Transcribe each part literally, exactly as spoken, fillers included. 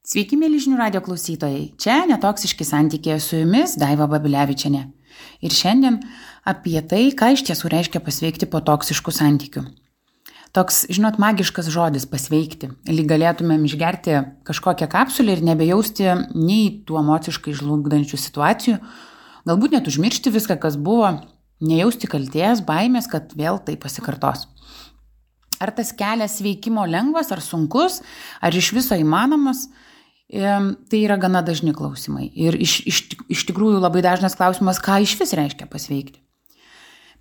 Sveiki, mėly žinių radio klausytojai. Čia Netoksiški santykiai, su jumis Daiva Babilevičienė. Ir šiandien apie tai, ką iš tiesų reiškia pasveikti po toksiškų santykių. Toks, žinot, magiškas žodis pasveikti. Lyg galėtumėm išgerti kažkokią kapsulę ir nebejausti nei tų emociškai žlugdančių situacijų, galbūt net užmiršti viską, kas buvo, nejausti kaltės, baimės, kad vėl tai pasikartos. Ar tas kelias sveikimo lengvas, ar sunkus, ar iš viso įmanomas? Tai yra gana dažni klausimai. Ir iš, iš, iš tikrųjų labai dažnas klausimas, ką iš vis reiškia pasveikti.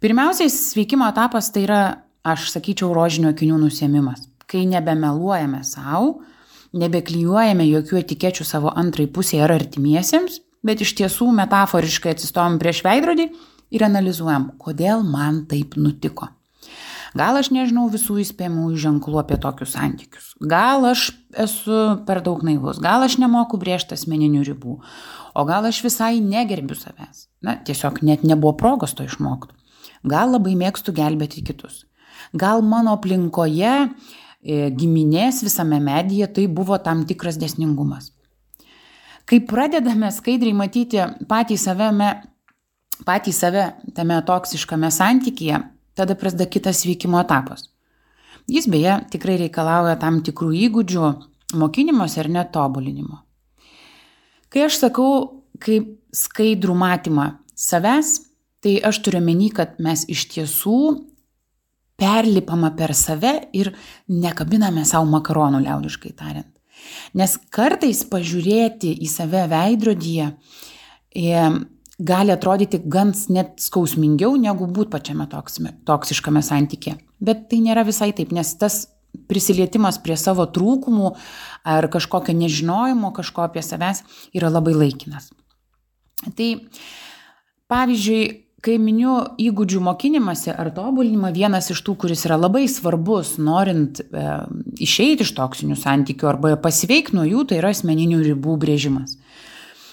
Pirmiausiai, sveikimo etapas tai yra, aš sakyčiau, rožinio akinių nusiėmimas. Kai nebemeluojame savo, nebeklijuojame jokių etikečių savo antrai pusėje ar artimiesiems, bet iš tiesų metaforiškai atsistojam prieš veidrodį ir analizuojam, kodėl man taip nutiko. Gal aš nežinau visų įspėjamųjų ženklų apie tokius santykius. Gal aš esu per daug naivus. Gal aš nemoku brėžti asmeninių ribų. O gal aš visai negerbiu savęs. Na, tiesiog net nebuvo progos to išmokti. Gal labai mėgstu gelbėti kitus. Gal mano aplinkoje, giminės visame medyje tai buvo tam tikras dėsningumas. Kai pradedame skaidriai matyti patį saveme, patį save tame toksiškame santykyje, tada prasideda kitas veikimo etapas. Jis beje tikrai reikalauja tam tikrų įgūdžių, mokinimosi ar net tobulinimo. Kai aš sakau, kaip skaidrų matymą savęs, tai aš turiu omeny, kad mes iš tiesų perlipama per save ir nekabiname savo makaronų, liaudiškai tariant. Nes kartais pažiūrėti į save veidrodyje e, gali atrodyti gan net skausmingiau, negu būt pačiame toksiškame santykė. Bet tai nėra visai taip, nes tas prisilietimas prie savo trūkumų ar kažkokio nežinojimo, kažko apie savęs yra labai laikinas. Tai pavyzdžiui, kai miniu įgūdžių mokinimąsi ar tobulinimą, vienas iš tų, kuris yra labai svarbus, norint e, išeiti iš toksinių santykių arba pasveikti nuo jų, tai yra asmeninių ribų brėžimas.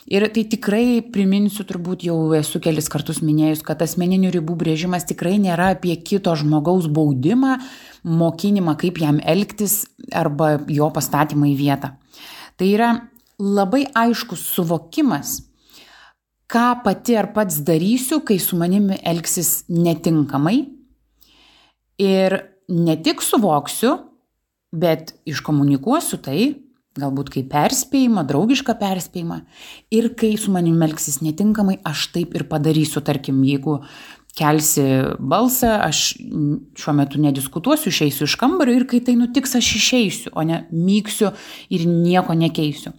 Ir tai tikrai priminsiu, turbūt jau esu kelis kartus minėjus, kad asmeninių ribų brėžimas tikrai nėra apie kito žmogaus baudimą, mokinimą, kaip jam elgtis arba jo pastatymą į vietą. Tai yra labai aiškus suvokimas, ką pati ar pats darysiu, kai su manimi elgsis netinkamai. Ir ne tik suvoksiu, bet iškomunikuosiu tai, galbūt kaip perspėjimą, draugišką perspėjimą. Ir kai su manim elgsis netinkamai, aš taip ir padarysiu. Tarkim, jeigu kelsi balsą, aš šiuo metu nediskutuosiu, išeisiu iš kambario ir kai tai nutiks, aš išeisiu, o ne myksiu ir nieko nekeisiu.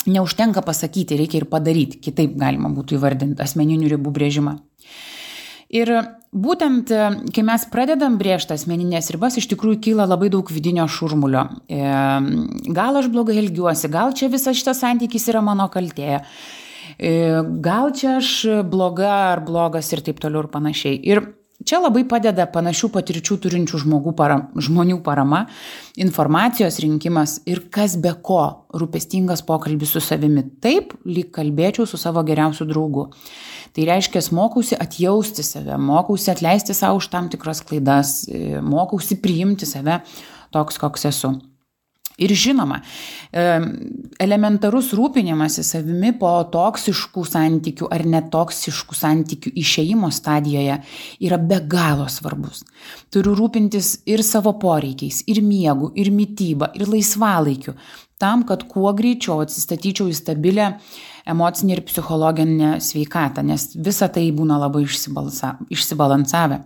Neužtenka pasakyti, reikia ir padaryti. Kitaip galima būtų įvardinti asmeninių ribų brėžimą. Ir būtent, kai mes pradedam brėžti asmeninės ribas, iš tikrųjų kyla labai daug vidinio šurmulio. Gal aš blogai elgiuosi, gal čia visas šitas santykis yra mano kaltė, gal čia aš bloga ar blogas ir taip toliau ir panašiai. Ir čia labai padeda panašių patirčių turinčių žmogų param, žmonių parama, informacijos rinkimas ir kas be ko, rūpestingas pokalbis su savimi. Taip, lyg kalbėčiau su savo geriausiu draugu. Tai reiškia, mokausi atjausti save, mokausi atleisti savo už tam tikras klaidas, mokausi priimti save toks, koks esu. Ir žinoma, elementarus rūpinimasis savimi po toksiškų santykių ar netoksiškų santykių išėjimo stadijoje yra be galo svarbus. Turiu rūpintis ir savo poreikiais, ir miegu, ir mityba, ir laisvalaikiu, tam, kad kuo greičiau atsistatyčiau į stabilę emocinę ir psichologinę sveikatą, nes visa tai būna labai išsibalansavę.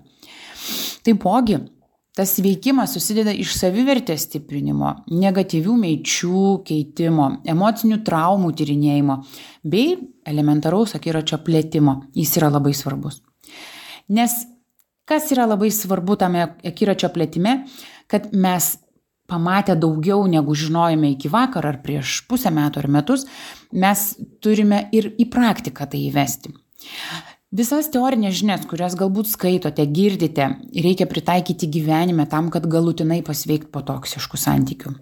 Taipogi, tas veikimas susideda iš savivertės stiprinimo, negatyvių minčių keitimo, emocinių traumų tyrinėjimo bei elementaraus akiračio plėtimo. Jis yra labai svarbus. Nes kas yra labai svarbu tame akiračio plėtime, kad mes pamatę daugiau negu žinojome iki vakar ar prieš pusę metų ar metus, mes turime ir į praktiką tai įvesti. Visas teorinės žinias, kurias galbūt skaitote, girdite, reikia pritaikyti gyvenime tam, kad galutinai pasveikti po toksiškų santykių.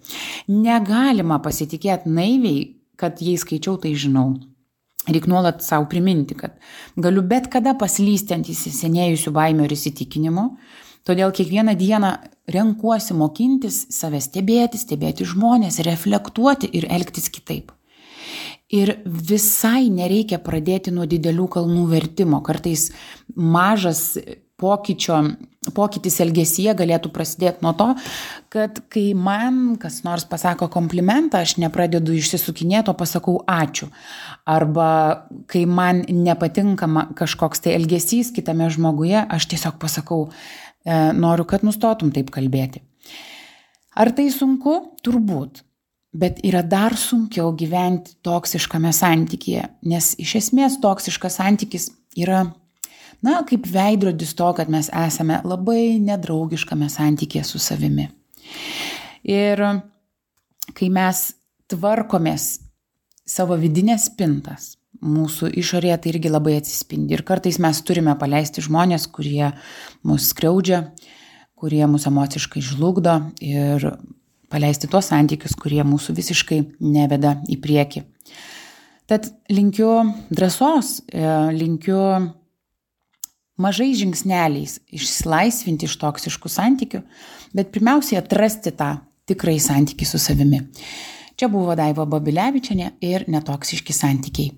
Negalima pasitikėti naiviai, kad jei skaičiau, tai žinau. Reikia nuolat savo priminti, kad galiu bet kada paslysti ant įsisenėjusių baimių ir įsitikinimų, Todėl kiekvieną dieną renkuosi mokintis save stebėti, stebėti žmonės, reflektuoti ir elgtis kitaip. Ir visai nereikia pradėti nuo didelių kalnų vertimo. Kartais mažas pokyčio, pokytis elgesyje galėtų prasidėti nuo to, kad kai man kas nors pasako komplimentą, aš nepradedu išsisukinėti, o pasakau ačiū. Arba kai man nepatinka kažkoks tai elgesys kitame žmoguje, aš tiesiog pasakau, e, noriu, kad nustotum taip kalbėti. Ar tai sunku? Turbūt. Bet yra dar sunkiau gyventi toksiškame santykyje, nes iš esmės toksiškas santykis yra, na, kaip veidrodis to, kad mes esame labai nedraugiškame santykyje su savimi. Ir kai mes tvarkomės savo vidinės spintas, mūsų išorėje tai irgi labai atsispindi. Ir kartais mes turime paleisti žmonės, kurie mus skriaudžia, kurie mus emociškai žlugdo ir paleisti tuos santykius, kurie mūsų visiškai neveda į priekį. Tad linkiu drąsos, linkiu mažais žingsneliais išsilaisvinti iš toksiškų santykių, bet pirmiausiai atrasti tą tikrąjį santykį su savimi. Čia buvo Daiva Babilevičienė ir Netoksiški santykiai.